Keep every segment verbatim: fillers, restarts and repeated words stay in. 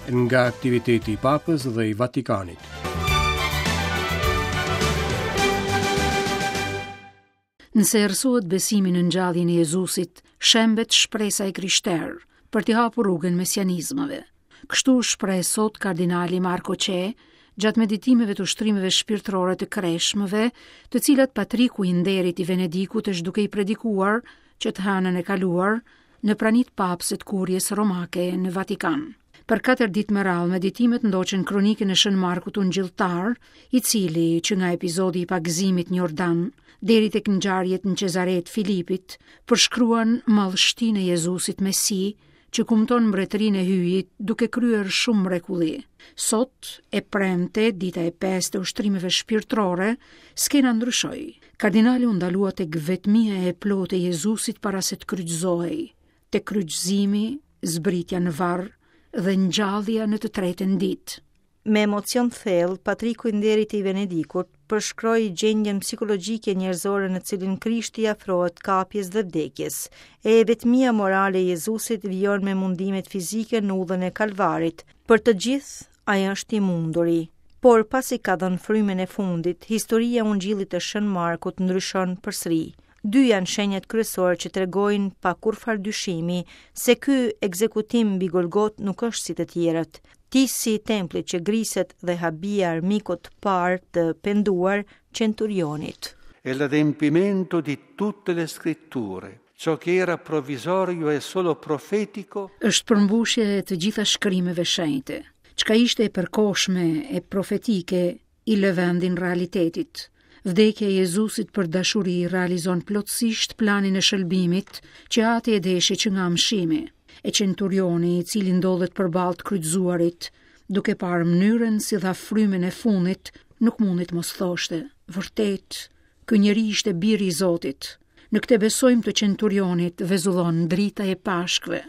Nga aktiviteti i Papës dhe i Vatikanit. Nëse errësohet besimi në ngjalljen e Jezusit, shembet shpresa e krishterë për t'i hapur rrugën mesianizmave. Kështu u shpreh sot kardinali Marko Çe gjatë meditimeve të ushtrimeve shpirtërore të kreshmëve, të cilat Patriku i nderit i Venedikut është duke i predikuar që të hënën e kaluar në pranitë papëse të kurjes romake në Vatikan. Për katër ditë me radhë, meditimet ndoqën kronikën e Shën Markut Ungjilltar, i cili që nga epizodi i pagëzimit në Jordan deri tek ngjarjet në Cezare të Filipit, përshkruan madhështinë e Jezusit Mesi, që kumton mbretërinë e Hyjit duke kryer shumë mrekulli. Sot, e premte, dita e pestë e ushtrimeve shpirtërore, skena ndryshoi. Kardinali u ndalua tek vetmia e plotë e Jezusit para se të kryqëzohej, tek kryqëzimi, zbritja në varr dhe ngjallja në të tretën ditë. Me emocion thellë, Patriku i nderit i Venedikut përshkroi gjendjen psikologjike njerëzore në cilin Krishti i afrohet kapjes dhe vdekjes. E vetmia morale e Jezusit vijon me mundimet fizike në udhën e Kalvarit. Për të gjithë, ai është i munduri. Por pasi ka dhënë frymën e fundit, historia e Ungjillit të Shën Markut ndryshon përsëri. Dy janë shenjat kryesore që tregojnë pa kurrfar dyshimi se ky ekzekutim mbi Golgot nuk është si të tjerët. Tisi i templit që griset dhe habia armikut të parë të penduar centurionit. È l'adempimento di tutte le scritture. Ciò che era provvisorio e solo profetico është përmbushje e të gjitha shkrimeve shenjte. Çka ishte e përkohshme e profetike i lë vendin realitetit. Vdekja e Jezusit për dashuri realizon plotësisht planin e shëlbimit që ati e deshi që nga amshimi. E centurioni, i cili ndodhet përballë të kryqëzuarit, duke parë mënyrën si dha frymën e fundit, nuk mundit mos thoshte: vërtet, ky njeri ishte biri i Zotit. Në këtë besojmë të centurionit vezullon drita e Pashkëve.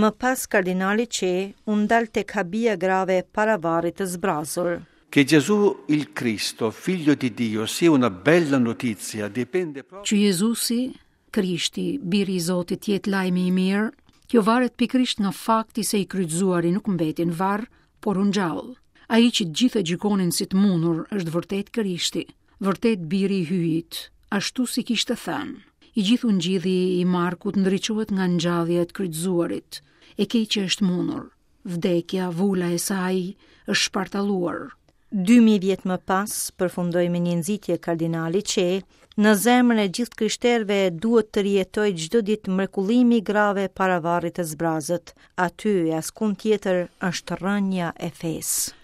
Më pas kardinali Çe u ndal tek habia grave para varrit të zbrazur. Che Gesù il Cristo, figlio di Dio, sia una bella notizia dipende proprio Që Jezusi, Krishti, biri i Zotit, jetë lajmi i mirë, kjo varet pikërisht nga fakti se i kryqëzuari nuk mbeti në varr, por u ngjall. Ai që të gjithë e gjykonin si të mundur është vërtet Krishti, vërtet biri i Hyjit, ashtu si kishte thënë. I gjithë ungjilli i Markut ndriçohet nga ngjallja e të kryqëzuarit. E keqja është mundur. Vdekja, vula e saj është shpartalluar. Dy mijë vjet më pas, përfundoi me një nxitje kardinali Çe, në zemrën e gjithë krishterëve duhet të rijetojë çdo ditë mrekullimi i grave para varrit të zbrazët. Aty e askund tjetër është rrënja e fesë.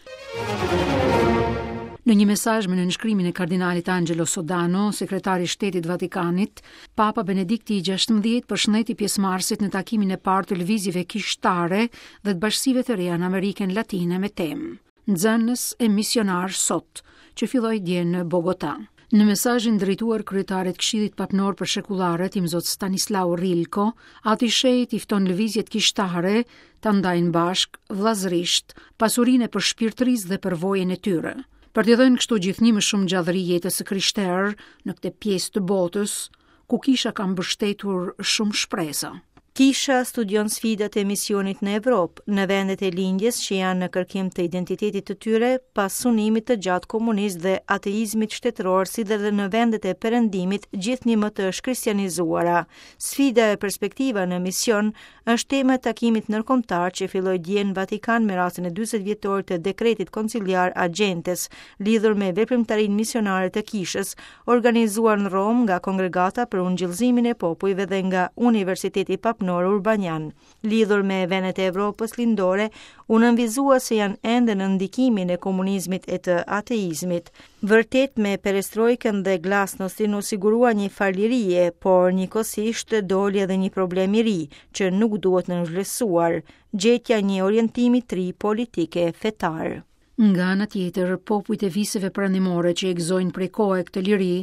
Në një mesazh me nënshkrimin e kardinalit Angelo Sodano, sekretari i Shtetit Vatikanit, Papa Benedikti i gjashtëmbëdhjetë përshëndeti pjesëmarrësit në takimin e parë të lëvizjeve kishtare dhe të bashkësive të reja në Amerikën Latine me temë Nxënës e misionar sot, që filloi dje në Bogota. Në mesazhin drejtuar kryetarit Këshillit Papnor për Shekullaret, Imzot Stanislav Rilko, ati shenjt i fton lëvizjet kishtare ta ndajnë bashk, vllazërisht, pasurinë e përshpirtërisë dhe përvojën e tyre, për t'i dhënë kështu gjithnjë më shumë gjallëri jetës së krishterë në këtë pjesë të botës, ku kisha ka mbështetur shumë shpresa. Kisha studion sfidat e misionit në Evropë, në vendet e lindjes që janë në kërkim të identitetit të tyre pas sunimit të gjatë komunist dhe ateizmit shtetëror, si dhe në vendet e perëndimit gjithnjë më të shkristianizuara. Sfida e perspektiva në mision është tema e takimit ndërkombëtar që filloi dje në Vatikan me rastin e dyzet vjetorit të dekretit konciliar Agentes, lidhur me veprimtarinë misionare të kishës, organizuar në Romë nga Kongregata për Ungjillëzimin e Popujve dhe nga Universiteti Papnor Urbanian. Lidhur me vendet e Evropës lindore, u nënvizua se janë ende në ndikimin e komunizmit e të ateizmit. Vërtet me perestrojkën dhe glasnostin u sigurua një farë lirie, por njëkohësisht doli edhe një problem i ri që nuk duhet nënvlerësuar, gjetja një orientimi të ri politik e fetar. Nga ana tjetër, popujt e viseve perëndimore që e gëzojnë prej kohe këtë liri,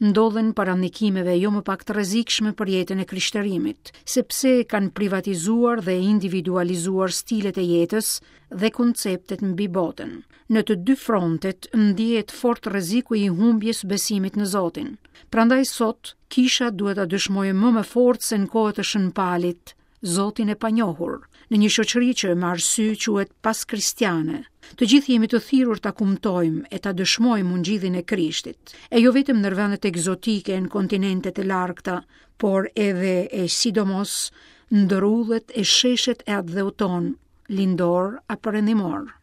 ndodhen para ndikimeve jo më pak të rrezikshme për jetën e krishterimit, sepse kanë privatizuar dhe individualizuar stilet e jetës dhe konceptet mbi botën. Në të dy frontet ndihet fort rreziku i humbjes së besimit në Zotin. Prandaj sot kisha duhet ta dëshmojë më me forcë se në kohët e Shën Palit, Zotin e panjohur, në një shoqëri që me arsye quhet paskristiane. Të gjithë jemi të thirrur ta kumtojmë e ta dëshmojmë ungjillin e Krishtit, e jo vetëm në vendet egzotike në kontinentet e largëta, por edhe e sidomos ndër udhët e sheshet e atdheut tonë, lindor a perëndimor.